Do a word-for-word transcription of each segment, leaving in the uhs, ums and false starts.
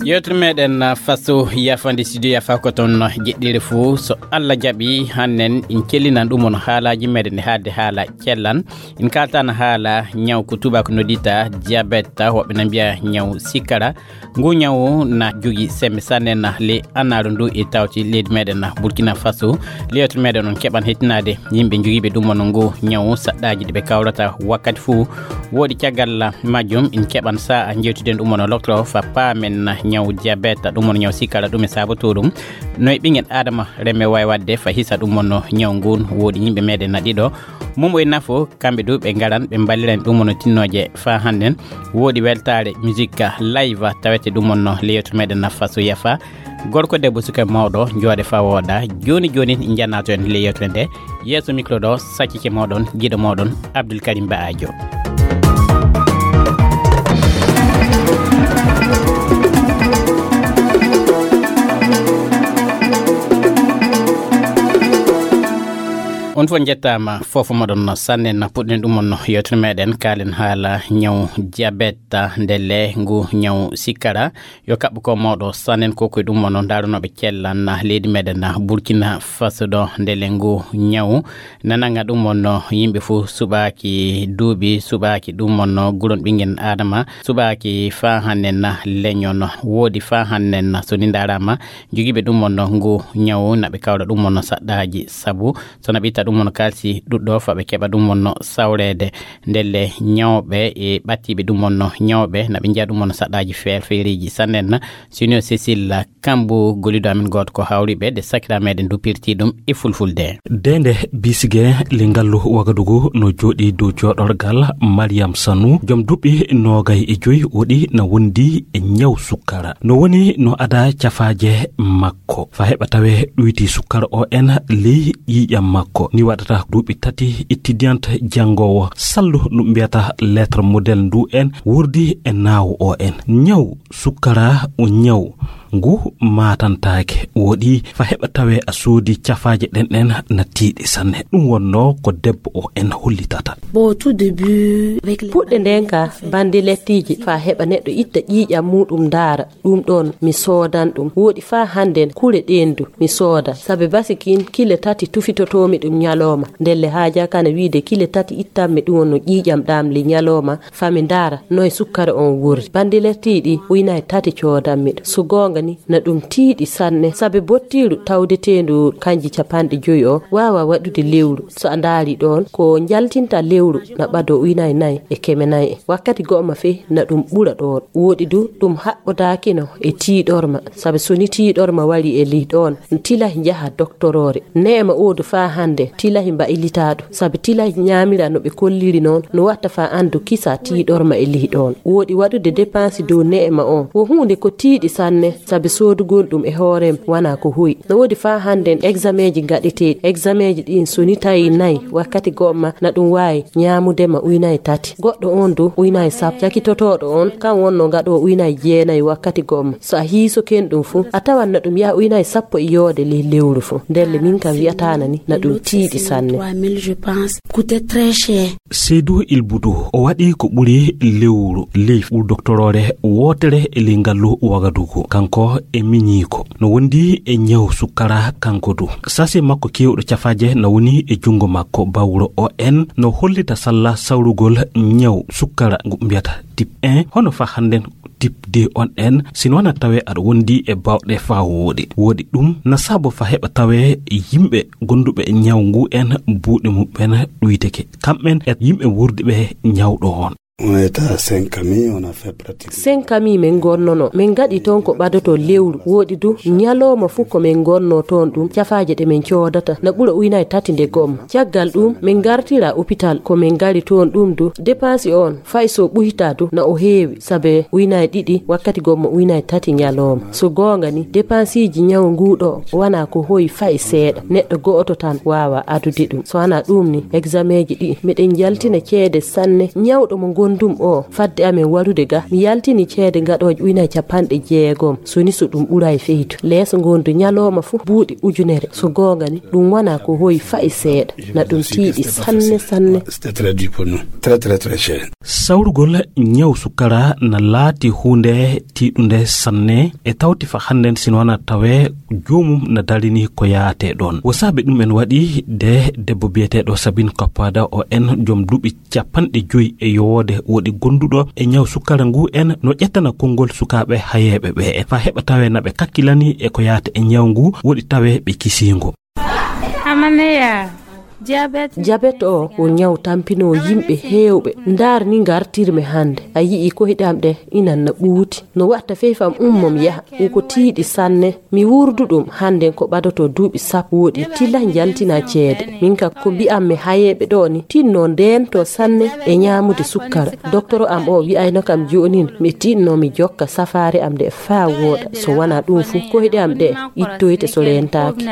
Yewtere meɗen, uh, faso yafande studio yafa ko toon, uh, jeɗɗire fuu. So Allah jaɓi, hannen in cellinan ɗum on haalaaji meɗen ɗi haalde haala cellan. In kaltana haala ñaw ko tubaako noddita diabète, woɓɓe na mbiya ñaw sikkara. Ngu ñaw na jogi sembe sanne na le anaaru ndu e tawti leydi meɗen na Burkina Faso. Le yewtere meɗen on keɓan hettinaade yimɓe jogiiɓe ɗum on ngu ñaw saɗɗaaji ɗi ɓe kawrata wakkati fuu. Woodi caggal majjum in keɓan sa'a jewtiden ɗum on loktoro fa paamen ñaw diabète, ɗum on ñaw sikkara, ɗum e saboto ɗum. No e ɓingen Adama reme wawi wadde fa hisa ɗum on ñaw ngun. Woodi yimɓe meɗen na ɗiɗo. Mum o e nafo, kamɓe du ɓe ngaran, ɓe mballiran ɗum on tinnooje fa hannden. Woodi weltaare musique live tawete ɗum on no le yewtere meɗen na faso yafa. Gorko debbo suka mawɗo, jooɗe fa wooɗa. Jooni jooni njannato en le yewtere nde. Yeeso micro ɗo, saccike moɗon, giɗo moɗon, Abdoul Karim Baajo. On fof njettaama, fof moɗon no sanne na puɗɗen ɗum on no yewtere meɗen, kaalen haala ñaw diabète, ndelle ngu ñaw sikkara. Yo kaɓɓo ko mawɗo sannen ko koye ɗum on no ndaarunooɓe cellan na leydi meɗen na Burkina Faso ɗo, ndelle ngu ñaw nananga ɗum on no yimɓe fof suɓaaki duuɓi, suɓaaki ɗum on no guron ɓingen Adama, suɓaaki fa hannden na leño no. Woodi fa hannden na so ni ndaarama jogiiɓe ɗum on no ngu ñaw na ɓe kawra ɗum on no saɗɗaaji, sabu so na ɓe itta ɗum on no kalsi ɗuɗɗo fa ɓe keɓa ɗum on no sawreede. Ndelle ñawɓe e ɓattiiɓe ɗum on no ñawɓe na ɓe njiya ɗum on no saɗɗaaji feer-, feereeji sannen na. Sino Cécile Kambo, golido amin gooto ko hawriɓe de sakira meɗen dupirti ɗum e fulfulde. Dende bisige le ngallu Wagadugu no jooɗi dow jooɗorgal Mariam Sanu, joom duɓi noogay e joyi, woɗi na wondi e ñaw sukkara. No woni no ada cafaaje makko fa heɓa tawe ɗuyti sukkara o en ley ƴiiƴam makko. Ni waɗata duuɓi tati étudiante janngowo sallu ɗum mbiyata lettre modèle ndu en wurdi e naawo o en. Ñaw sukkara o ñaw ngu maatantaake, woɗi fa heɓa tawe a soodi cafaaje ɗen ɗen na tiiɗi sanne. Ɗum wonno ko debbo o en hollitata. Bon, au tout début, avec les puɗɗe nden ka bandi lettiiji fa heɓa neɗɗo itta ƴiiƴam muɗum ndaara. Ɗum ɗon mi soodan ɗum. Woɗi fa hannden kure ɗen du mi sooda. Sabe basikin kile tati tufitotomi ɗum ñalawma. Ndelle haaja kana wiide kile tati ittanmi ɗum no ƴiiƴam ɗam le ñalawma. Fa mi ndaara noy sukkara on wurri. Bandi lettiiɗi uynay tati coodanmi ɗum. So goonga ni na ɗum tiiɗi sanne. Sabe bottiiru tawdeteendu kanji capanɗe joyi o waawa waɗude lewru. So a ndaari ɗon ko njaltinta lewru na ɓado uynay nay e keme nay. Wakkati go'o ma fe na ɗum ɓura ɗon. Woɗi du ɗum haɓɓodaakino e tiiɗorma. Sabe so ni tiiɗorma wari e lih ɗon, tilahi njaha doktoroore. Neema o du fa hannde tilahi mbaylitaadu. Sabe tilahi ñaamira no ɓe kolliri noon, no watta fa anndu kisa tiiɗorma e lih ɗon. Woɗi waɗude depansi dow neema on. Wo huunde ko tiiɗi sanne, sabe soodugol ɗum e hoorem wana ko hoy. No woodi fa hannden exameeji ngaɗeteeɗi. Exameeji ɗin so ni tawi nay wakkati go'o ma na ɗum waawi ñaamude ma uynay tati. Goɗɗo on du uynay sappo. Cakitotooɗo on kan wonno ngaɗo uynay jeenay wakkati go'o ma. So a hiiso ken ɗum fu, a tawan na ɗum yaha uynay sappo e yoode ley lewru fu. Ndelle min kam wi'ataana ni na ɗum tiiɗi sanne. Trois mille, je pense. Coûtait très cher. Seydou Ilbudu, o waɗi ko ɓuri lewru ley ɓur doktoroore wootere e ley ngallu Wagadugu. Kanko e miñiiko. No wondi e ñaw sukkara kanko du. Sase makko keewɗo cafaaje na woni e junngo makko. Bawro o en no hollita salla sawrugol ñaw sukkara ngu mbiyata type un. Hono fa hannden type deux on en, sino wana tawe aɗa wondi e bawɗe fa wooɗi. Woɗi ɗum na sabo fa heɓa tawe yimɓe gonduɓe ñaw ngu en buuɗe muɓɓen ɗuyteke. Kamɓen e yimɓe wurdiɓe ñawɗo on. On était à Saint-Camille, on a fait pratiquement. Saint-Camille min ngonnono. Min ngaɗi toon ko ɓadoto lewru. Woɗi du, ñalawma fuu ko min ngonno toon ɗum, cafaaje ɗe min coodata, na ɓura uynay tati nde gomma. Caggal ɗum, min ngartira hôpital, ko min ngari toon ɗum du, depansi on, fay so ɓuyta du, na o heewi, sabe uynay ɗiɗi, wakkati gomma uynay tati ñalawma. So goonga ni, depansiiji ñaw nguu ɗo, wana ko hoyi fay seeɗa. Neɗɗo go'oto tan waawa adude ɗum. So wana ɗum ni, exameeji ɗi, miɗen njaltina ceede sanne. Ñawɗo mo ngon- Ɗum o fadde amen warude ga, mi yaltini ceede gaɗooje ujunaaji capanɗe jeegom, so ni so ɗum ɓuray feydu. Leeso ngondu ñalooma fuu buuɗi ujunere. So goonga ni, ɗum wonaa ko hoyi fa'i seeɗa. Na ɗum tiiɗi sanne, sanne. C'était très dur pour nous. Très, très, très cher. Sawrugol ñaw sukara na laati huunde tiiɗunde sanne, e tawti fa hannden, sino wonaa tawee joomum na darini ko yaatee ɗoon. Wo saabe ɗum en waɗi de debbo biyeteeɗo Sabine Koppada, o en joom duuɓi capanɗe joyi e yowoode woɗi gonduɗo e ñaw sukara ngu en no ƴettana konngol sukaaɓe hayeeɓe ɓe en. Fa heɓa tawee na ɓe kakkilani e ko yaata e ñaw ngu, woɗi tawee ɓe kisiingo. Amaneya, diabète. Diabète o, o ñaw tampinoo yimɓe heewɓe. Ndaar ni ngartirmi hannde. A yi'i koyɗe am ɗe inan na ɓuuti. No watta fey fam ummo mi yaha. Ko tiiɗi sanne. Mi wurdu ɗum hannden ko ɓadoto duuɓi sappo woɗi tila njaltina ceede. Min ka ko mbi'an mi hayeeɓe ɗo ni, tinno ndeento sanne e ñaamude sukkara. Doktoro am o wi'ayno kam joonin mi tinno mi jokka safaare am nde faa wooɗa. So wanaa ɗum fu, koyɗe am ɗe ittoyte so leentaaki.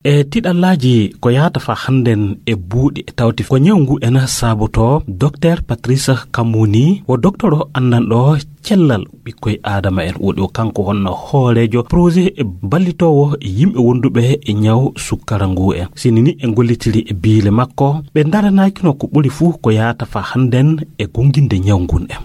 E tiɗallaaji ko yahata fa hannden e buuɗi e tawti ko ñaw ngu ena saabotoo, Dokteer Patrice Kamuni wo doktoro anndanɗo cellal ɓikkoy Aadama en. Woɗi o kanko honno hooreejo projet e ballitoowo yimɓe wonduɓe e ñaw sukkara ngu en. Sini ni e ngollitiri e biile makko, ɓe ndaranaakino ko ɓuri fuu ko yahata fa hannden e gonnginde ñaw ngun en.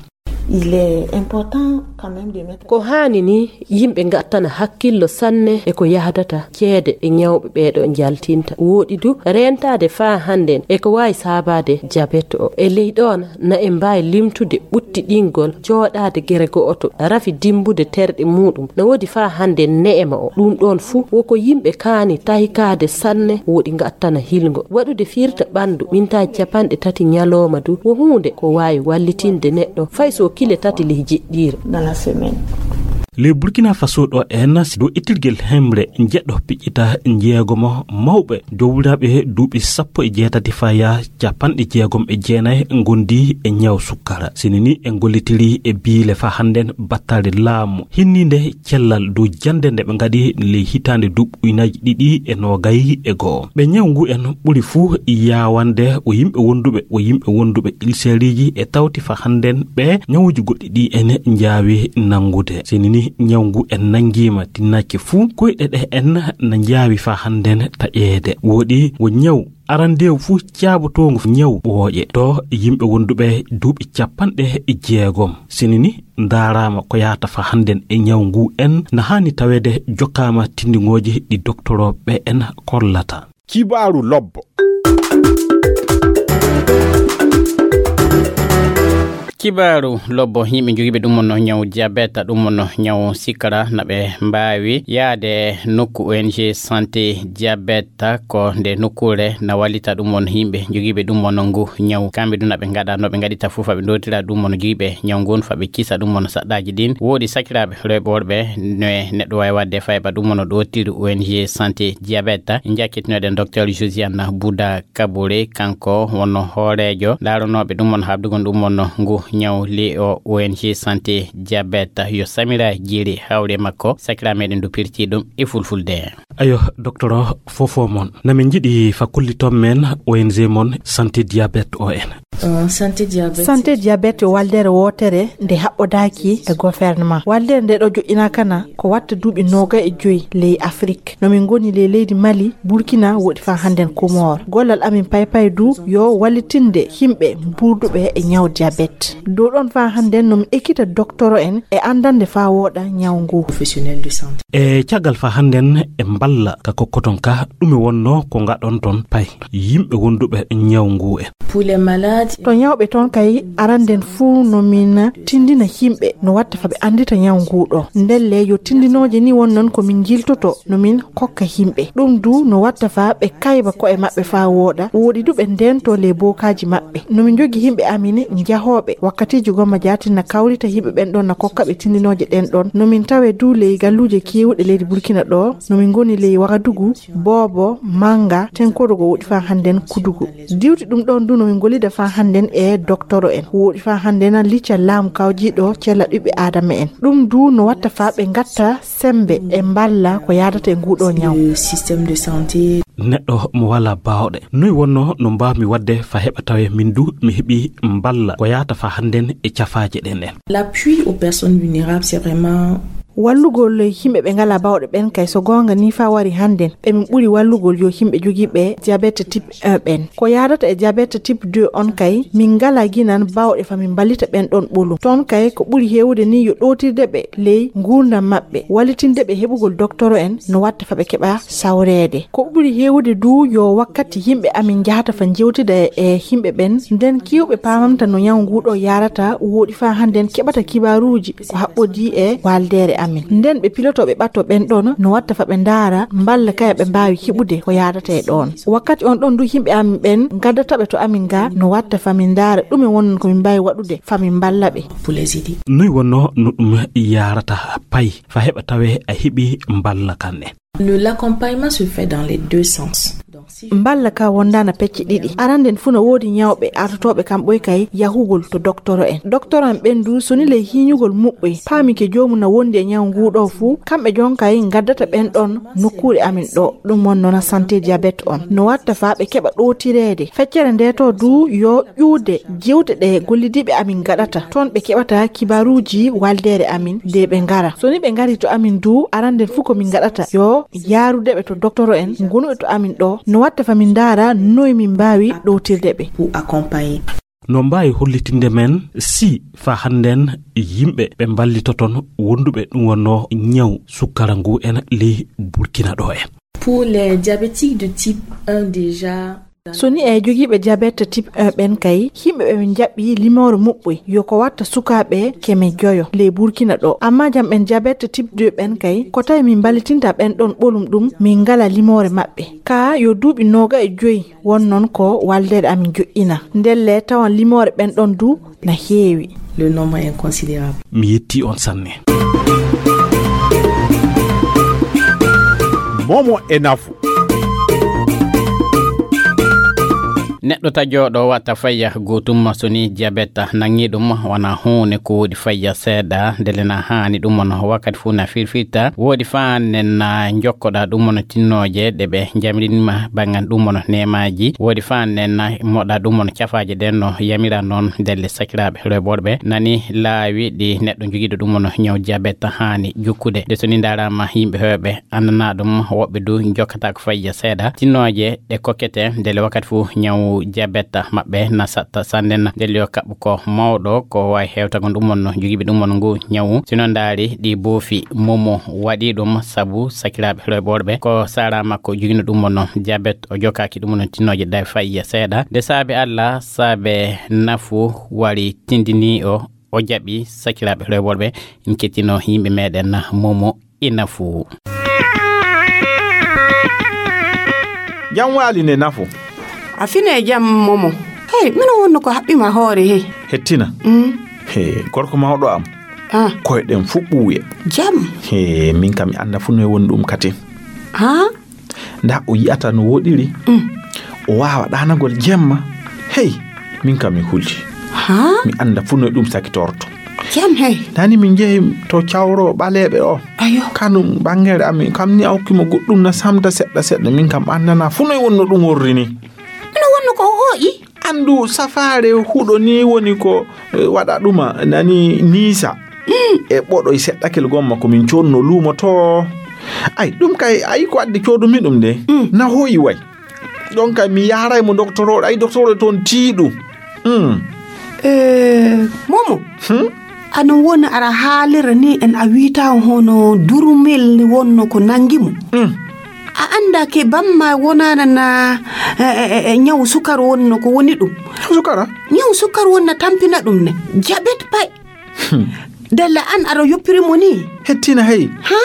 Il est important quand même de mettre. Ko haani ni yimɓe ngattana hakkillo sanne e ko yahdata ceede e ñawɓe ɓeeɗo njaltinta. Wooɗi du reentaade faa hannden e ko waawi saabaade jabet o. E ley ɗoon na en mbaawi limtude ɓuttiɗingol jooɗaade gere go'oto, rafi dimmbude terɗe muuɗum. Na woodi faa hannden ne'ema o. Ɗum ɗoon fuu wo ko yimɓe kaani tahikaade sanne, woɗi ngattana hilngo. Waɗude firta ɓanndu mintaaji capanɗe tati ñalooma du wo huunde ko waawi wallitinde neɗɗo fay so kile tati ley jeɗɗiire. Dans la semaine. Ley Burkina Faso ɗo en, dow ittirgel hemre njeɗɗo piƴƴita njeegomo mawɓe jowliraaɓe duuɓi sappo e jeetati faya capanɗe jeegom e jeenayi ngondi e ñaw sukkara. Sini ni en gollitiri e biile fa hannden battale laamu hinniinde cellal dow jannde nde ɓe ngaɗi ley hitaande duuɓi ujunaaji ɗiɗi e noogay e go'o. Ɓe ñaw ngu en ɓuri fuu yaawande o yimɓe wonduɓe, o yimɓe wonduɓe ilseriiji e tawti fa hannden ɓe ñawuuji goɗɗi ɗi en njaawi nanngude. Sini ni ñaw ngu en nanngiima tinnaaki fuu, koyɗe ɗe en na njaawi fa hannden taƴeede. Wooɗi wo ñaw arandeewu fuu caabotoongu ñaw ɓooƴe to yimɓe wonduɓe duuɓi capanɗe jeegom. Sini ni ndaaraama ko yahata fa hannden e ñaw ngu en na haani taweede jokkaama tinndingooji ɗi doktorooɓe en kollata. Kibaaru lobbo. Kibaaru lobbo, yimɓe jogiiɓe ɗum wonno ñaw diabète, ɗum wonno ñaw sikara, na ɓe mbaawi yaade nokku O N G Santé Diabète, ko nde nokkuure na wallita ɗum wonno yimɓe jogiiɓe ɗum wonno ngu ñaw. Kamɓe ɗum na ɓe ngaɗa no ɓe ngaɗita fof, fa ɓe ndotira ɗum wonno jogiiɓe ñaw ngun, fa ɓe kisa ɗum wonno saɗɗaaji ɗin. Woodi sakiraaɓe rewɓe worɓe no e neɗɗo waawi waɗde fayba ɗum wonno ɗo tiri O N G Santé Diabète. Njakkitinoɗen Docteur Josiane Bouda Kabore, kanko wonno hooreejo ndaronooɓe ɗum wonno haɓdugol ɗum wonno ngu ñaw li o O N G Santé Diabète. Yo Samira Jeri hawre makko, sakira meɗen du pirti ɗum e fulfulde. Ayo, docteur o, fofo mon. Na min njiɗi fa kolliton men O N G mon Santé Diabète o en. Euh, Santé Diabète. Santé Diabète yo waldere wootere nde haɓɓodaaki e gouvernement. Waldere nde ɗo joƴƴinaaka na ko watta duuɓi noogay e joyi ley Afrik. No min ngoni ley leydi Mali, Burkina, woɗi fa hannden Comore. Gollal amin paypay du yo wallitinde yimɓe mburduɓe e ñaw diabète. Dow ɗon fa hannden no min ekkita doktoro en e anndande fa wooɗa ñaw ngu. Professionnel de santé. E caggal fa hannden e mballa ka kokkoton ka, ɗume wonno ko ngaɗon ton pay yimɓe wonduɓe ñaw ngu en? Pour les malades. To ñawɓe toon kay, aranden fuu no min tindina yimɓe no watta fa ɓe anndita ñaw ngu ɗo. Ndelle yo tindinooje ni won noon ko min njiltoto no min kokka yimɓe. Ɗum du no watta fa ɓe kayba ko'e maɓɓe fa wooɗa. Woɗi du ɓe ndento ley bookaaji maɓɓe. No min njogi yimɓe amin njahooɓe wakkatiiji gomma jaatin na kawrita yimɓe ɓen ɗon na kokka ɓe tindinooje ɗen ɗon. No min tawe du ley galluuje keewuɗe leydi Burkina ɗo. No min ngoni ley Wagadugu, Boobo, Manga, Tenkodogo woɗi fa hannden Kudugu. Diwti ɗum ɗon du no min gollida fa Hannden e doktoro en. Wooɗi faa hannden licca laamu kawjiiɗo cella ɓiɓɓe Aadama en. Ɗum du no watta faa ɓe ngatta semmbe e mballa ko yaadata e nguuɗo ñaw. Le système de santé. Neɗɗo mo walaa baawɗe. Noy wonnoo no mbaawmi waɗde faa heɓa tawee min du mi heɓii mballa ko yaata faa hannden e cafaaje ɗen en? L'appui aux personnes vulnérables, c'est vraiment Wallugol yimɓe ɓe ngalaa baawɗe ɓen kay, so goonga nii faa wari hannden, ɓe min ɓuri wallugol yo yimɓe jogiiɓe diabète type un ɓen. Ko yaadata e diabète type deux on kay, min ngalaa ginan baawɗe faa min mballita ɓen ɗon ɓolum. Toon kay, ko ɓuri heewude nii yo ɗowtirde ɓe ley nguurndam maɓɓe, wallitinde ɓe heɓugol doktoro en no watta faa ɓe keɓa sawreede. Ko ɓuri heewude du yo wakkati yimɓe amin njahata faa njewtida e yimɓe ɓen, nden keewɓe paamanta no ñaw nguu ɗoo yaarata, wooɗi faa hannden keɓata kibaaruuji ko haɓɓodii e waldeere amin. Nden ɓe pilotoo ɓe ɓattoo ɓen ɗon no watta faa ɓe ndaara mballa kaya ɓe mbaawi heɓude ko yaadata e ɗon. Wakkati on ɗon du yimɓe amin ɓen ngaddata ɓe to amin ga no watta faa min ndaara ɗume wonnon ko min mbaawi waɗude faa min mballa ɓe. Noy wonnoo no ɗum yaarata pay faa heɓa tawee a heɓii mballa kan en? Le, l'accompagnement se fait dans les deux sens. Donc, si Mballa ka wondaana pecce ɗiɗi. Aranden fuu no woodi ñawɓe artotooɓe kam ɓoy kay yahugol to doktoro en. Doktoro en ɓen du so ni ley hiiñugol muɓɓoy paami ke joomum na wondi e ñaw nguu ɗoo fuu, kamɓe jon kay ngaddata ɓen ɗon nokkuure amin ɗoo. Ɗum won noon santé diabète on. No watta faa ɓe keɓa ɗowtireede. Feccere ndee to du yo ƴuude jewte ɗe gollidiiɓe amin ngaɗata. Toon ɓe keɓata kibaaruuji waldeere amin de ɓe ngara. So ni ɓe ngarii to amin du, aranden fuu ko min ngaɗata yo yaarude ɓe to doktoro en ngonuɓe to amin ɗoo, no watta faa min ndaara noy min mbaawi ɗowtirde ɓe. Pour accompagner. No mbaawi hollitinde men si faa hannden yimɓe ɓe mballitoton wonduɓe ɗum wonnoo ñaw sukkara ngu en ley Burkina ɗoo en? Pour les diabétiques de type un déjà, So ni e jogiiɓe diabète type un ɓen kay, yimɓe ɓe min njaɓɓi limoore muɓɓoy yo ko watta sukaaɓe keme joyo ley Burkina ɗoo. Amma jam ɓen diabète type deux ɓen kay, ko tawi min mballitinta ɓen ɗon ɓolum ɗum, min ngala limoore maɓɓe. Kaa yo duuɓi nooga e joy won noon ko waldeede amin joƴƴina. Ndelle tawan limoore ɓen ɗon du na heewi. Le nombre est considérable. Mi yetti on sanne. Momo e nafu. Neɗɗo tajooɗo wata faya gootum so ni jabeta nangi ɗum, wona huunde ko woodi faya seeɗa, ndele na haani ɗum on wakkati fuu na firfirta. Woodi faa nen na njokkoɗa ɗum on tinnooje ɗe ɓe njamirinima banngal ɗum on neemaaji. Woodi faa nen na moɗa ɗum on cafaaje ɗen no yamira noon. Ndelle sakiraaɓe rewɓe worɓe, nani laawi ɗi neɗɗo jogiiɗo ɗum on ñaw jabeta haani jokkude. Nde so ni ndaaraama yimɓe heewɓe anndanaa ɗum, woɓɓe du njokkataako fayya seeɗa. Tinnooje ɗe kokkete ndele wakkati fuu ñaw jabeta maɓɓe na saɗta sanne na. Ndelle yo kaɓɓu ko mawɗo ko waawi hewtagol ɗum on jogiiɓe ɗum on ngu ñawu. Si no ndaari ɗi boofi momo waɗi ɗum sabu sakiraaɓe rewɓe worɓe ko saaraa makko jogiino ɗum on jabet, o jokkaaki ɗum on tinnooje ɗe fayya seeɗa. Nde saabe Allah, saabe nafu wari tindini o, o jaɓi sakiraaɓe rewɓe worɓe. En kettino yimɓe meɗen momo e nafu. Jam waali ne nafu. A fine jam momo. Hey, mino wonno ko haɓɓima hoore he. Hettina. Mm. He, gorko mawɗo am. Ah. Koyɗen fuu ɓuuye. Jam. He, min kam mi annda fuu no e woni ɗum katin. Ha? Nda o yi'ata no woɗiri. Mm. O waawa ɗaanagol jemma. Hey, min kam mi huli. Ha? Mi annda fuu no e ɗum sakitorto. Jam hey. Nani min njehi to cawro ɓaleeɓe o. Ayo. Kanum ɓangere amin kam ni a hokki mo goɗɗum na samta seɗɗa seɗɗa, min kam anndanaa fuu no e wonno ɗum worri ni. Mino wonno ko o hooƴi? Anndu safaare huɗo ni woni ko, eh, waɗa ɗuma nani niisa. Mm. E ɓoɗo e seɗɗakel gomma ko min codno luumo to. Ay, ɗum kay, ay ko addi codumi ɗum de. Mm. Na hooyi way. Ɗon kay mi yaaray mo doktoro, ay doktoro toon tiiɗu. Mm. Eh, momo. Hmm? Ano woni ara haalira ni en a wiita hono durumel ni wonno ko nangi mo. Mm. A annda ke bamma wonana na, eh, eh, eh, eh, ñaw sukar wonno ko woni ɗum. Sukara? Ñaw sukar wonna tampina ɗum ne. Jabet pay. Hmm. Dalla an ara yoppiri mo ni. Hettina hey. Ha?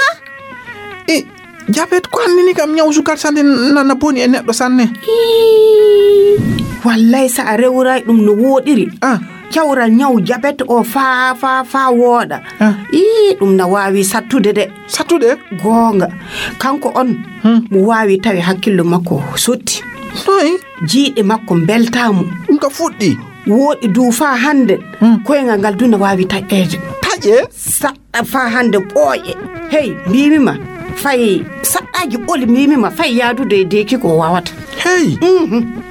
E, jabet ko anni ni kam ñaw sukar sanne na, na boni e neɗɗo sanne. Ii, wallay sa a rewray ɗum no woɗiri. Ah. Cawral ñaw jabet o fa, fa, fa wooɗa. Ah. Ii, ɗum na waawi sattude de. Sattude? Goonga. Kanko on, hmm, mo waawi tawi hakkillo makko sotti. Noy? Jiiɗe makko mbeltaa mo. Ɗum ka fuɗɗi. Wooɗi du faa hannde. Koyngal ngal du na waawi taƴeede. Taƴe? Saɗɗa faa hannde ɓooƴe. Hey, mbiimi ma, fay saɗɗaaji ɓoli mbiimi ma, fay yaadude e deeki ko waawata. Hey.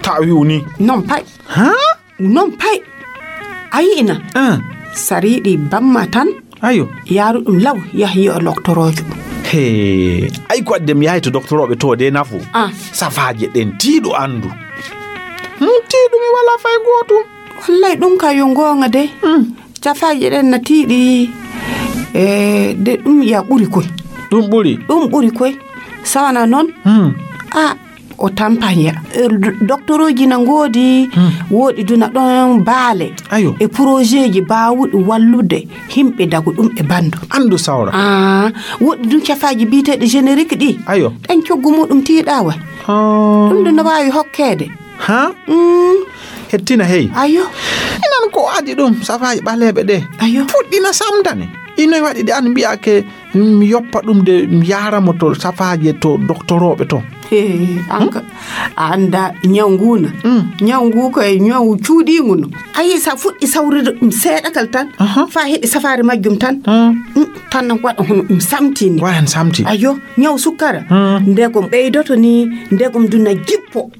Tawi woni. Non pay. Ha? Non pay. A yi'ina. Sariiɗi bamma tan. Ayo. Yaaru ɗum law, yah yi'o loktoroojo. He, ay ko adde mi yahay to doktorooɓe to de nafu. Safaaje ɗen tiiɗo anndu. Tiiɗo mi wala fay gootum. Wallay ɗum ka yo ngoonga de. Safaaje ɗen na tiiɗi. E de ɗum ya ɓuri koy. Ɗum ɓuri. Ɗum ɓuri koy. Sawana noon. A o tampanya. Doktorooji na ngoodi. Wooɗi duna ɗon baale. Ayo. E porojeeji baawuɗi wallude himɓe dagu ɗum e bandu. Anndu sawra. Wooɗi dun cafaaji biyeteeɗi jenerik ɗi. Ayo. Ɗen coggu muɗum tiiɗawa. Ɗum dun no waawi hokkeede. Ha? Hettina hey. Ayo. Inan ko adi ɗum safaaji ɓaleeɓe ɗe. Ayo. Fuɗɗina samdane. Inoy waɗi de an mbi'ake mi yoppa ɗum de mi yaara mo to safaaje to doktorooɓe to. An ka a annda ñaw ngu na. Ñaw ngu ko e ñaw cuuɗiingu no. A yii sa fuɗɗi sawrude ɗum seeɗakal tan. Fa heɓi safaare majjum tan. Tan waɗa hono ɗum samtini. Waɗan samti. Ayo, ñaw sukkara. Ndegom ɓeydoto ni, ndegom duna jippo.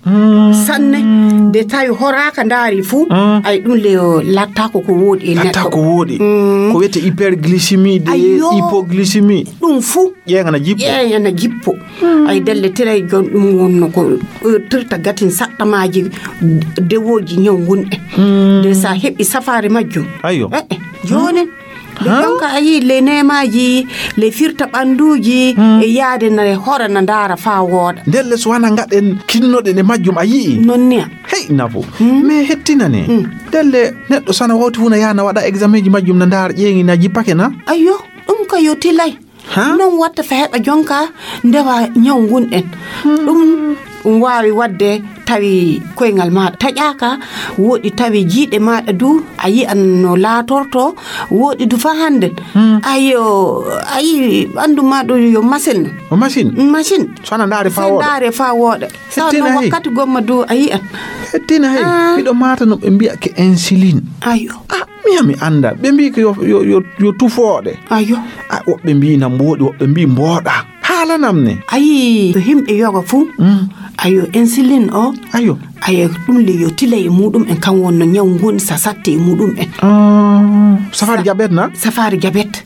Sanne de tawi horaaka ndaari fuu. Ay ɗum le lattaako ko wooɗi e neɗɗo. Lattaako wooɗi. Ko wiyete hyperglycémie de hypoglycémie. Ɗum fuu ƴeeŋana jippo. Ƴeeŋana jippo. Ay delle tiray jon ɗum wonno ko tirta gatin saɗɗamaaji dewooji ñaw ngun en. De sa heɓi safaari majjum. Ayo. Jooni. Nde jonka a yii le neemaaji le firta ɓannduuji e yaade na hora na ndaara faa wooɗa. Ndelle so wana ngaɗen kinnoɗen e majjum a yii. Noon niya. Hey nafo. Mais hettinane. Ndelle neɗɗo sana wawti fu na yaha na waɗa examen ji majjum na ndaara ƴeeŋi na jippake na. Ayyo. Ɗum ka yo tilay. Noon watta fa heɓa jonka ndewa ñaw ngun en. Ɗum ɗum waawi waɗde tawi koyngal maaɗa taƴaaka. Wooɗi tawi jiiɗe maaɗa du a yi'an no laatorto. Wooɗi du fa hannden. Ayo a yii ɓanndu ma ɗum yo masin. O masin. Masin. So ana ndaare fa wooɗa. Ndaare fa wooɗa. Sawa no wakkati gomma du a yi'an. Hettina hey. Miɗo maata no ɓe mbiya ke insuline. Ayo. Miya mi annda ɓe mbii ko yo, yo, yo, yo tufooɗe. Ayo. A woɓɓe mbii na mbooɗi woɓɓe mbii mbooɗa. Haalanam ne. A yii to himɓe yoga fuu. Ayo insuline o. Ayo. Ayo ɗum le yo tila e muɗum en kan wonno ñaw ngon sa satte e muɗum en. Safaari jabet na. Safaari jabet.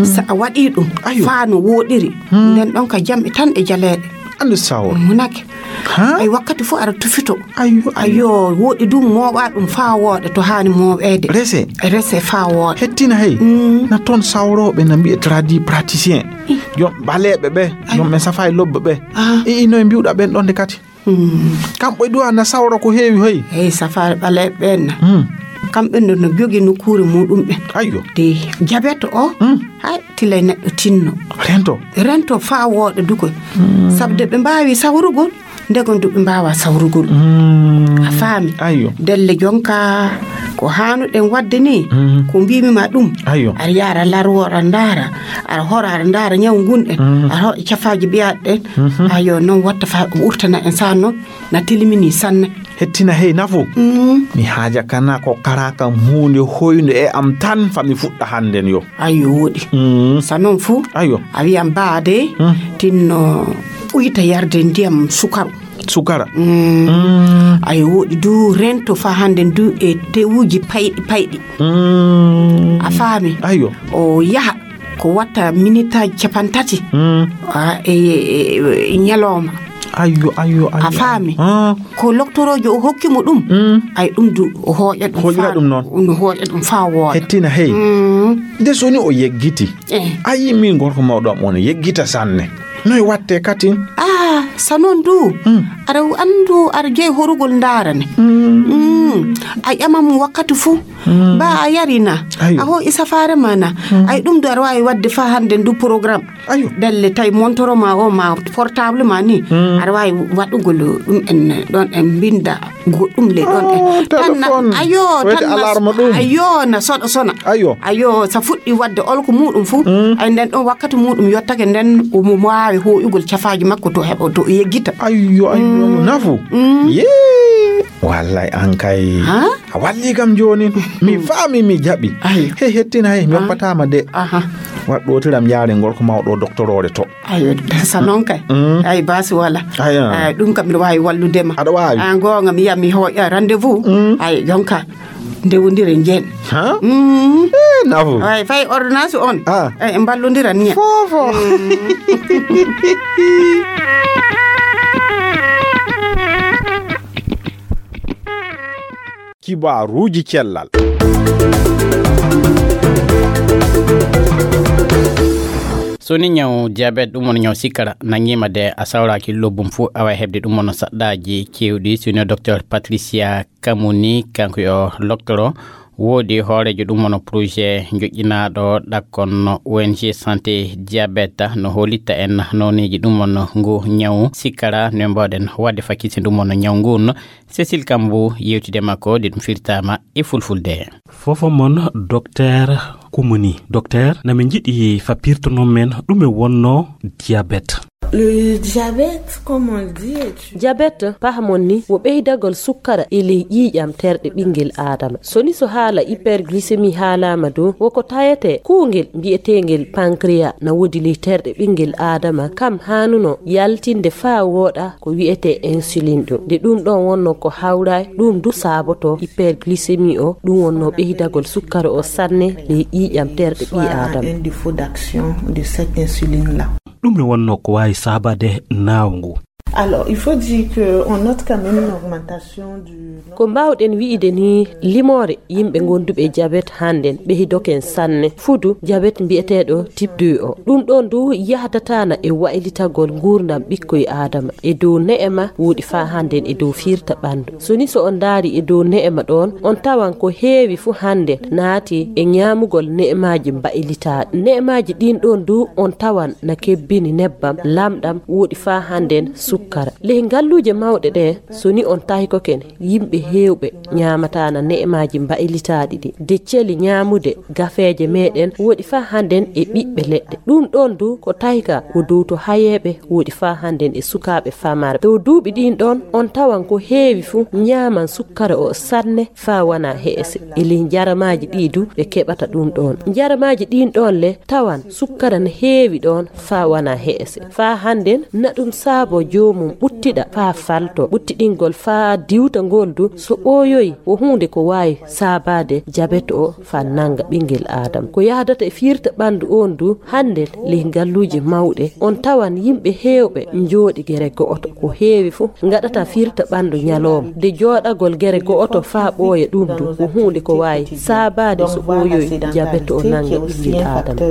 Sa a waɗi ɗum. Ayo. Faa no wooɗiri. Nden ɗon ka jamɗe tan e jaleeɗe. Anndu sawo. Munake. Ay wakkati fof aɗa tufito. Ayo. Ayo wooɗi dum mooɓa ɗum faa wooɗa to haani mooɓeede. Rese. Rese faa wooɗa. Hettina hey. Na toon sawrooɓe na mbiye tradi praticien. Jom ɓaleeɓe ɓe. Jom ɓe safa e lobbe ɓe. Ii noye mbiwɗa ɓen ɗon de kadi. Kamɓe duwa na sawra ko heewi hoy. Hey safaare ɓaleeɓe ɓen na. Kamɓe no no jogi nokkuure muɗum ɓen. Ayyo. De jabet o. Hay tilay neɗɗo tinno. Rento. Rento faa wooɗa dukoy. Sabde ɓe mbaawi sawrugol. Ndegom du ɓe mbaawa sawrugol. A faami. Ayyo. Delle jonka ko haanuɗen waɗde ni. Ko mbiimi ma ɗum. Ayyo. Aɗa yaara larwo aɗa ndaara. Aɗa hora aɗa ndaara ñaw ngun en. Aɗa hoɗa cafaaji ɓiyaaɗe ɗen. Ayyo noon watta fa ɓurtana en sa noon. Na tilimini sanne. Hettina hey nafo. Mi haaja kana ko kara kam huunde hoynde e am tan fa mi fuɗɗa hannden yo. Ayyo wooɗi. Sa noon fuu. Ayyo. A wiyan baade tinno uyta yarde ndiyam sukaru. Sukara. Ayyo wooɗi du rento fa hannden du e tewuji payɗi payɗi. A faami. Ayyo. O yaha ko watta minitaaji capantati. E ñalooma. Ayyo ayyo ayyo. A faami. Ko loktoroojo o hokki mo ɗum. Ay ɗum du o hooƴa ɗum. Hooƴira ɗum noon. No hooƴa ɗum faa wooɗa. Hettina hey. De soni o yeggiti. A yii min gorko mawɗo am on yeggita sanne. Noy watte katin? Ah sa noon du. Aɗa anndu aɗa jeyi horugol ndaarane. A ƴama mo wakkati fuu. Ba a yari na. A hooƴi safaare ma na. Ay ɗum du aɗa waawi waɗde faa hannden du programme. Ayo. Dalle tawi montoro ma o ma portable ma ni. Aɗa waawi waɗugol ɗum en ɗon en mbinda goɗɗum le ɗon en. Tan na ayo tan na ayo na soɗa sona. Ayo. Ayo sa fuɗɗi waɗde olko muɗum fuu. Ay nden ɗon wakkati muɗum yottake nden omo waawi hooƴugol cafaaji makko to heɓo to yeggita. Ayyo ayyo nafu. Yee. Wallay an kay. Ha? A walli kam jooni. Mi faami, mi jaɓi. Ay. Hey, hettin hay, mi hoppataama de. Aha. Waɗ ɗootiram yaare ngol ko mawɗo doktoroore to. Ay, sa noon kay. Mm. Ay, baasi wala. Ay, ah. Ay, ɗum kam mi waawi wallude ma. Aɗa waawi? Ah, goonga mi yaha mi hooƴa rendez-vous. Mm. Ay, jonka. Ndewondire njeen. Ha? Mm. Eh, nafu. Ay, fay ordonnance on. Ah. Ay, en mballondiran ni. Fofo. Mm. Kibaaruuji cellal. So ni ñaw diabète, ɗum woni ñaw sikkara, nangiima de a sawraaki lobbum fuu, a waaway heɓde ɗum woni saɗɗaaji keewɗi. So ni docteur Patricia Kamuni, kanko yo loktoro, woodi hooreejo ɗum woni projet joƴƴinaaɗo ɗakkon O N G Santé Diabète, no hoolitta en nooneeji ɗum woni ngu ñaw sikkara, no mbaawɗen waɗde fakkisi ɗum woni ñaw ngun. Cécile Kambou yewtide makko, ɗi ɗum firtaama e fulfulde. Fofo mon, Docteur Kumuni. Docteur, na min njiɗi fa pirtonon men ɗume wonno diabète. Le diabète, comme on le dit, est une Diabète, pahamon ni, wo ɓeydagol sukkara e ley ƴiiƴam terɗe ɓinngel Aadama. So ni so haala hyperglycémie haalaama dow, woko tawetee kuungel mbiyeteengel pancréas na woodi ley terɗe ɓinngel Aadama, kam haanuno yaltinde faa wooɗa ko wiyetee insuline ɗum. Nde ɗum ɗon wonno ko hawraay, ɗum du saaboto hyperglycémie o, ɗum wonno ɓeydagol sukkara o sanne ley ƴiiƴam terɗe ɓii Aadama. Un défaut d'action de cette insuline-là. Ɗum ne wonno ko waawi saabaade naawngu. Alors, il faut dire que on note quand même une augmentation du Ko mbaawɗen wi'ude ni, limoore yimɓe gonduɓe diabète hannden ɓeydoken sanne. Fudu diabète mbiyeteeɗo type deux o. Ɗum ɗon du yahdataana e waylitagol nguurndam ɓikkoy Aadama. E dow ne'ema woodi faa hannden e dow fiirta ɓanndu. So ni so on ndaari e dow ne'ema ɗon, on tawan ko heewi fuu hannden naati e ñaamugol ne'emaaji mbaylitaaɗi. Ne'emaaji ɗin ɗon du on tawan na kebbini nebbam, lamɗam, woodi faa hannden sukkara. Ley ngalluuje mawɗe ɗe, so ni on taykoken, yimɓe heewɓe ñaamataana ne'emaaji mbaylitaaɗi ɗi. De celi ñaamude gafeeje meeɗen woodi faa hannden e ɓiɓɓe leɗɗe. Ɗum ɗon du ko tayka wo dow to hayeeɓe woodi faa hannden e sukaaɓe famarɓe. Dow duuɓi ɗin ɗon, on tawan ko heewi fuu ñaaman sukkara o sanne faa wana he'ese. E ley njaramaaji ɗi du ɓe keɓata ɗum ɗon. Njaramaaji ɗin ɗon le tawan sukkara ne heewi ɗon faa wana he'ese. Faa hannden na ɗum saabo joomum ɓuttiɗa faa falto. Ɓuttiɗingol faa diwta ngol du so ɓooyoyi wo huunde ko waawi saabaade diabète o faa nannga ɓinngel Aadama. Ko yahdata e fiirta ɓanndu on du hannden ley ngalluuje mawɗe, on tawan yimɓe heewɓe njooɗi gere go'oto. Ko heewi fuu ngaɗata fiirta ɓanndu ñalooma. De jooɗagol gere go'oto faa ɓooya ɗum du ko huunde ko waawi saabaade so ɓooyoyi diabète o nannga ɓinngel Aadama.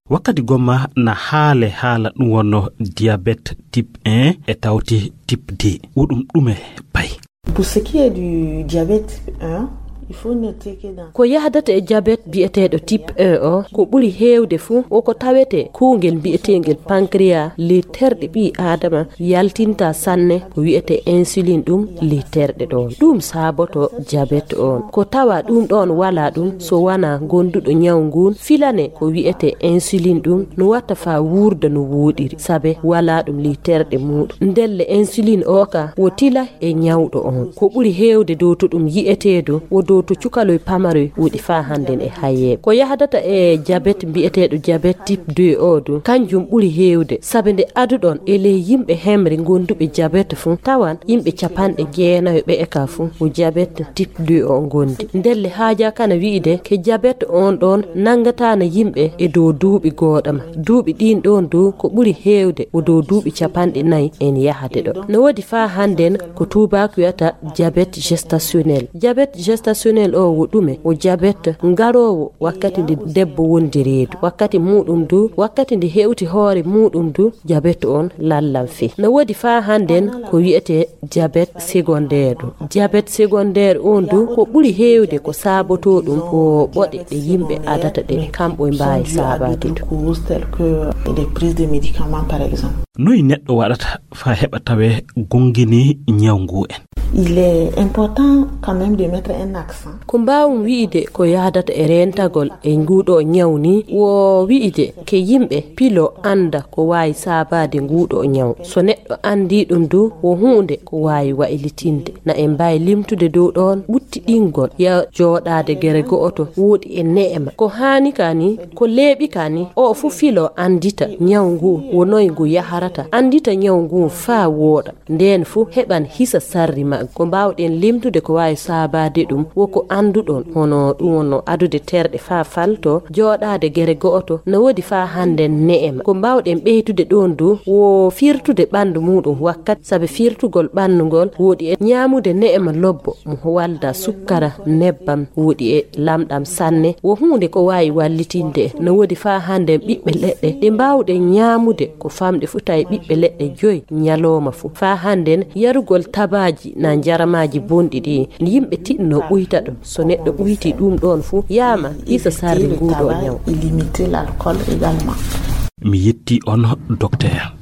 Wakkati gomma na haale haala ɗum wonno diabète type un e tawti type deux. Wo ɗum ɗume pay? Pour ce qui est du diabète un, il faut noter que dans Ko yahdata e diabète biyeteeɗo type un o, ko ɓuri heewde fuu, woko tawetee kuungel mbiyeteengel pancréas, ley terɗe ɓii Aadama, yaltinta sanne ko wiyetee insuline ɗum ley terɗe ɗoon. Ɗum saaboto diabète on. Ko tawa ɗum ɗoon walaa ɗum so wanaa gonduɗo ñaw nguun filane ko wiyetee insuline ɗum no watta faa wuurda no wooɗiri, sabe walaa ɗum ley terɗe muuɗum. Ndelle insuline o ka wo tila e ñawɗo on. Ko ɓuri heewde dow to ɗum yi'etee dow, wo dow to cukaloy pamaroy woɗi faa hannden e hayeeɓe. Ko yahdata e diabète mbiyeteeɗo diabète type deux o du, kanjum ɓuri heewde, sabe nde aduɗon e ley yimɓe hemre gonduɓe diabète fuu, tawan yimɓe capanɗe jeenayo ɓe e ka fuu, wo diabète type deux o ngondi. Ndelle haajaa kana wi'ude ke diabète on ɗoon nanngataana yimɓe e dow duuɓi gooɗama. Duuɓi ɗiin ɗoon du ko ɓuri heewde wo dow duuɓi capanɗe nayi en yahade ɗo. No woodi faa hannden ko tuubaaku wiyata diabète gestationnel. Diabète gestationnel o wo ɗume? Wo diabète ngaroowo wakkati nde debbo wondi reedu. Wakkati muuɗum du, wakkati nde hewti hoore muuɗum du, diabète on lallan fii. No woodi faa hannden ko wiyetee diabète secondaire ɗum. Diabète secondaire on du ko ɓuri heewde ko saabotoo ɗum ko ɓoɗe ɗe yimɓe adata ɗe, kamɓe mbaawi saabaade ɗum. Causes telles que des prises de médicaments, par exemple. Noy neɗɗo waɗata faa heɓa tawee gongini ñaw ngu en? Il est important quand même de mettre un accent. Ko mbaawmi wi'ude ko yahdata e reentagol e nguuɗo ñaw ni, wo wi'ude ke yimɓe pilo annda ko waawi saabaade nguuɗo ñaw. So neɗɗo anndii ɗum du, wo huunde ko waawi waylitinde. Na en mbaawi limtude dow ɗoon ɓuttiɗingol ya jooɗaade gere go'oto wooɗi e ne'ema. Ko haani ka ni, ko leeɓi ka ni, o fof filo anndita ñaw ngu, wo noy ngu yaharata, anndita ñaw ngu faa wooɗa. Ndeen fuu heɓan hisa sarri maggu. Ko mbaawɗen limtude ko waawi saabaade ɗum, wo ko annduɗon, hono ɗum wonno adude terɗe faa falto, jooɗaade gere go'oto, no woodi faa hannden ne'ema. Ko mbaawɗen ɓeydude ɗoon du, wo firtude ɓanndu muuɗum wakkati, sabe firtugol ɓanndu ngol woodi e ñaamude ne'ema lobbo, mo walda sukkara, nebbam, woodi e lamɗam sanne, wo huunde ko waawi wallitinde. No woodi faa hannden ɓiɓɓe leɗɗe ɗe mbaawɗen ñaamude ko famɗi fuu tawi ɓiɓɓe leɗɗe joy ñalooma fuu. Faa hannden yarugol tabaaji na njaramaaji bonɗi ɗi yimɓe tiɗno ɓuyta ɗum. So neɗɗo ɓuyti ɗum ɗoon fuu, yaama hisa sarri nguuɗo ñaw. Limiter l'alcool également. Mi yetti on, docteur.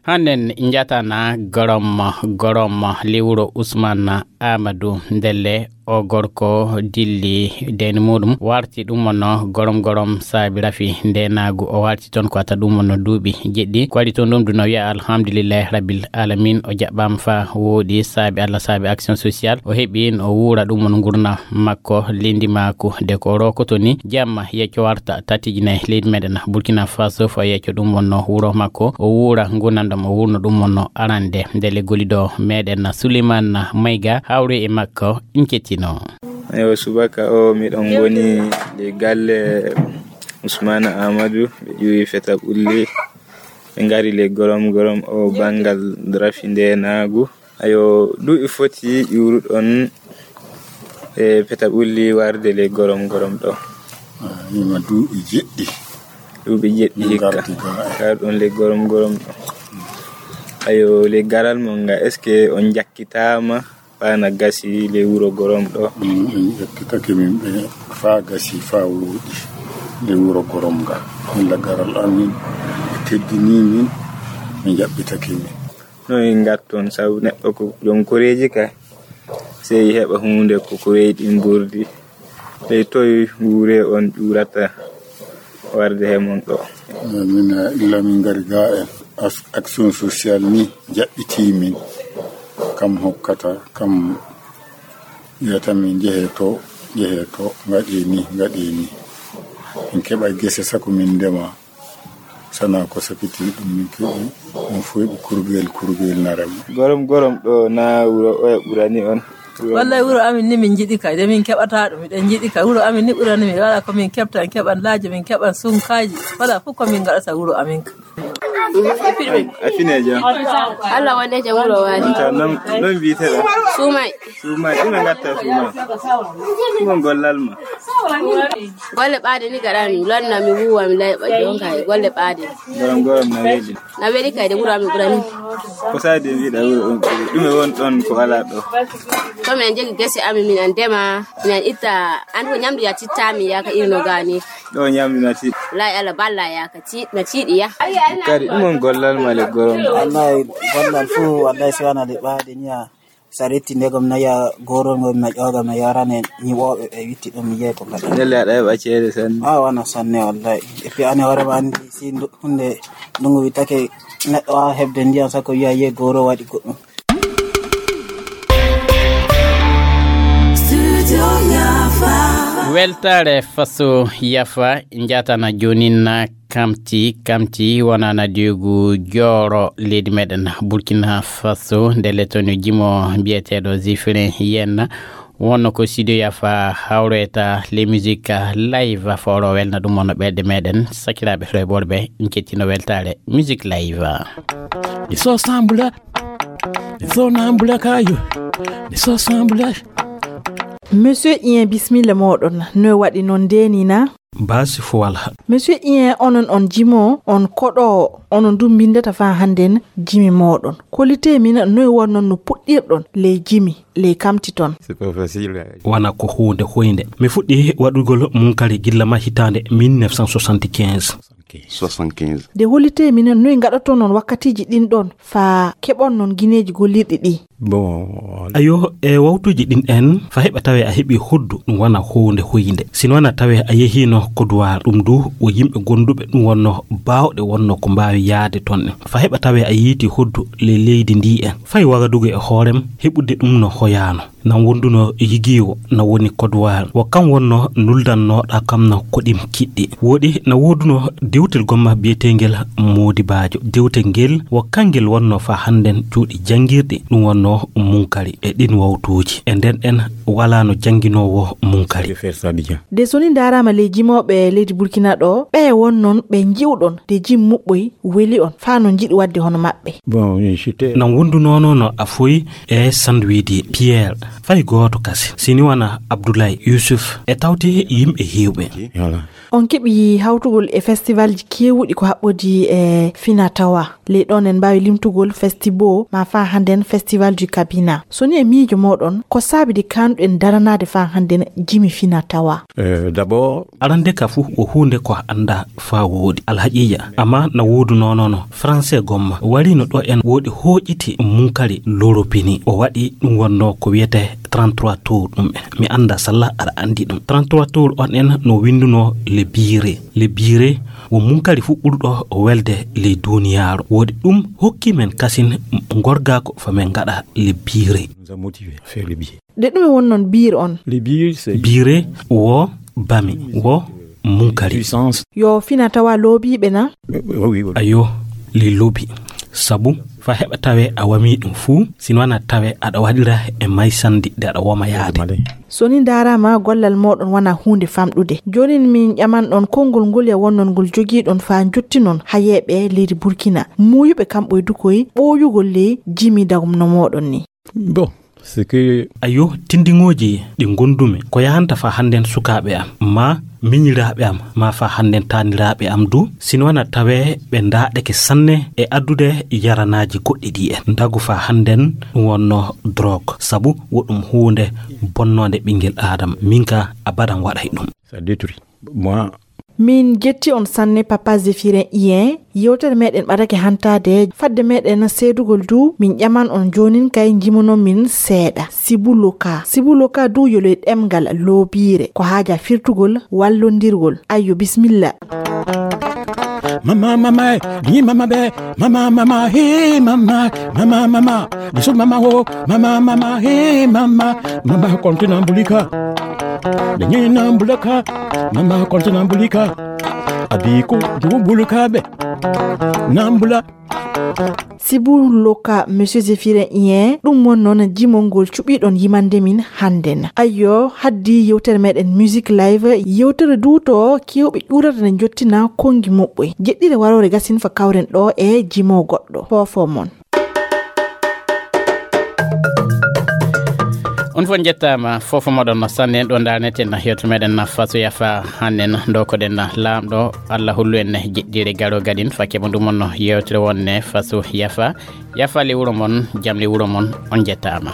Hannden njatana gorom, gorom lewuro Usman Amadu ndelle o gorko dilli deni muɗum warti ɗum wonno gorom gorom saabi rafi ndenaagu o warti toon ko ata ɗum wonno duuɓi jeɗɗi ko waɗi toon ɗum ɗum no wiya alhamdulillahi rabbil alamin o jaɓɓaama fa wooɗi saabi Allah saabi action sociale o heɓi o wuura ɗum won ngurna makko lindi maaku de ko rokoto ni jamma yecco warta tatiji nayi leydi meɗen Burkina Faso fo yecco ɗum wonno wuro makko o wuura ngurnandam o wurno ɗum wonno arande nde leggoliɗo meɗen Suleiman Mayga hawri e makko nkettino. Ewa subaka o miɗon ngoni le galle Ousmane Amadou ɓe ƴuwi feta ɓulli ɓe ngari le gorom gorom o bangal rafi nde naagu ayo duuɓi foti ƴuruɗon e feta ɓulli warde le gorom gorom ɗo. Ima duuɓi jeɗɗi. Duuɓi jeɗɗi hikka garɗon le gorom gorom ɗo. Ayo le garal mon nga est ce que on jakkitama fana gasi le wuro gorom ɗo? Min en ƴettitake min ɓe fa gasi fa woɗi le wuro gorom nga. Illa garal amin ɓe teddini min ɓe jaɓɓitake min. No en ngatton sabu neɗɗo ko joom koreeji kay sey heɓa huunde ko koreeji ɗin mburdi. Ley toy nguure on ƴuurata warde he mon ɗo? Min illa min ngari ga en action sociale ni jaɓɓiti min kam hokkata kam wiyata min jehe to jehe to ngaɗe ni ngaɗe ni min keɓa gese sako min ndema sana ko sakiti ɗum min keɓi ɗum fof ɓe kurgel kurgel narema. Gorom gorom ɗo na wuro oya ɓurani on? Wallay wuro amin ni min jiɗi kay de min keɓata ɗum miɗen jiɗi kay wuro amin ni ɓurani min wala ko min keɓta en keɓan laaji min keɓan sunkaji wala fof ko min gaɗata wuro amin ka. A finejo? Allah wonde jam wuro wali. Noon mbiyteɗo? Suumay. Suumay ɗum e gatta suumay ɗum on gollal ma? Golle ɓaade ni gaɗa mi lonna mi wuwa mi layɓa jonka e golle ɓaade. Gorom gorom na weeli. Na weeli kay de wuro amin ɓurani. Ko saadi en wiɗa wuro on ɓuri ɗum e won ɗon ko ala ɗo? To min jegi gese amin min an ndema min an itta an ko ñamdu ya titta min yaka irno gani. Ɗo ñamdu na tiɗ. Lay Allah balla yaka tiɗ na tiɗi ya. Kadi ɗum on gollal ma le gorom. Wallahi gollal fuu wallahi si wana de ɓaade niya. Sa retti ndegom naya gorol ngol na ƴoogam na yarane ñiwooɓe ɓe witti ɗum mi jeyi ko kadi. Ndelle aɗa heɓa ceede sanne. A wana sanne wallahi. Et puis ane hoore ma anndi si hunde ndungu wittake neɗɗo wawa heɓde ndiyam sakko wiya ye goro waɗi goɗɗum. Weltaare faso yafa njatana jonin kamti kamti wonana diigu jooro leydi meɗen Burkina Faso nde letonio jimo mbiyeteɗo Zifrin Yenna wonno ko studio yafa hawreta les musique live foro welna ɗum wonno ɓerɗe meɗen sakiraɓe rewɓe worɓe jettino weltare musique live. Iso sambula iso nambula kayo iso sambula. Monsieur Ien, bismilla moɗon. No waɗi non ndenina? Basi fo wala. Monsieur Ien, onon on jimo on koɗo onon dum bindata fa handen jimi moɗon. Kolite min noy wonnon no puɗɗirɗon ley jimi ley kamti ton? C'est pas facile. Wana ko hunde hoynde mi fuɗɗi waɗugol mum kadi gilla ma hitande mille neuf cent soixante-quinze. Soixante-quinze. Nde hollitee minen noy ngaɗoton non wakkatiiji ɗin ɗon faa keɓon non gineeji gollirɗi ɗi? Bon. Ayo, e wawtuuji ɗin en, fa heɓa tawee a heɓii hoddu, ɗum wona huunde hoynde. Sino wona tawee a yehiino Kodowar, ɗum du wo yimɓe gonduɓe ɗum wonno baawɗe wonno ko mbaawi yaade ton en. Fa heɓa tawee a yiiti hoddu le leydi ndi en. Fay Wagadugu e hoorem, heɓude ɗum no hoyaano. Nan wonduno yigiiwo, na woni Kodowar. Wo kam wonno nuldannooɗa kam no koɗim kiɗɗi. Woɗi na wooduno dewtel gomma biyeteengel Moodibaajo. Dewtel ngel wo kangel wonno fa hannden cuuɗi janngirɗi, ɗum wonno Munkari. E ɗin wawtuuji. E nden en walaano jannginoowo Munkari. Je vais faire ça bien. De so ni ndaaraama ley jimooɓe leydi Burkina ɗo, ɓe won non ɓe nji'uɗon de jim muɓɓoy weli on, faa no njiɗi waɗde hono maɓɓe. Bon, j'étais Nan wondunono no a foy e Sandwidi Pierre, fay gooto kasi. Sini wana Abdoulaye Youssouf e tawti yimɓe heewɓe. Voilà. On keɓi hawtugol e festivalji keewuɗi ko haɓɓodi e Finatawa. Ley ɗon en mbaawi limtugol Festibo, ma faa hannden Festival du Cabina. So ni e miijo mooɗon, ko saabi de kaanɗuɗen daranaade faa hannden jimi Finatawa? Euh, d'abord, arande ka fuu wo huunde ko a anndaa faa wooɗi. Alhaqiiqa, amma na woodunono no Français gomma. Wariino ɗo en woɗi hooƴiti Munkari Loropini. O waɗi ɗum wonno ko wiyetee trente-trois tours ɗum en. Mi anndaa salla aɗa anndi ɗum. Trente-trois tours on en no winndunoo le Bire. Le Bire wo Munkari fuu ɓurɗo welde ley duuniyaaru. Woɗi ɗum hokki men kasin ngorgaako fa men ngaɗa le Bire. Nous a motivé à faire le billet. De ɗume won non Bire on? Le billet, c'est Bire wo bami, wo Munkari. Puissance. Yo Finatawa loobiiɓe na? Oui, oui, oui. Ayo, li loobi. Sabu, fa heɓa tawee a wamii ɗum fuu, sino wana tawee aɗa waɗira e maysandi de aɗa woma yaade. Male. So ni ndaaraama gollal mooɗon wana huunde famɗude. Joonin min ƴaman ɗon konngol ngol ya wonnon ngol jogiiɗon faa njottinon hayeeɓe leydi Burkina. Muuyuɓe kamɓe dukoy ɓooyugol ley jimi dagum no mooɗon ni. Bon, c'est que ayo, tindiŋooji ɗi ngondumi, ko yahanta faa hannden sukaaɓe am, ma miñiraaɓe am, ma faa hannden taaniraaɓe am du, sino wana tawee ɓe ndaaɗeke sanne e addude yaranaaji goɗɗi ɗi en. Ndagu faa hannden ɗum wonno drogue, sabu wo ɗum huunde bonnoonde ɓinngel Aadama. Min ka abadan waɗay ɗum. Ça détruit. Moi, min jetti on sanne, Papa Zéphirin Ien. Yewtere meɗen ɓadake hantaade. Fadde meɗen seedugol du, min ƴaman on joonin kay njimono min seeɗa. Sibu Loka. Sibu Loka du yo ley ɗemngal loobiire. Ko haaja firtugol, wallondirgol. Ayyo, bismilla. Mama, mama, eh, ni mama be, mama, mama, hey, mama, mama, mama, bisu mama, ho, mama, mama, hey, mama, mama, konti na mbulika. Denye na mbulaka, mama, konti na mbulika. Abiku, du mbulika be. Na mbula. Sibu Loka, Monsieur Zéphirin Ien, ɗum won noon jimol ngol cuɓiɗon yimande min hannden. Ayyo, haddi yewtere meɗen Music Live, yewtere duuto kewɓe ƴuurata ne njottina konngi muɓɓoy. Jeɗɗire waroore gasin fa kawren ɗo e jimo goɗɗo. Foofo mon. On fof njettaama, fof moɗon no sanne. Ɗo ndarneten yewtere meɗen na faso yafa hannden, ndokoɗen na laamɗo, Allah hollu en jeɗɗire garo gadin, fakke mo ɗum on no yewtere wonne faso yafa. Yafa le wuro mon, jam le wuro mon, on njettaama.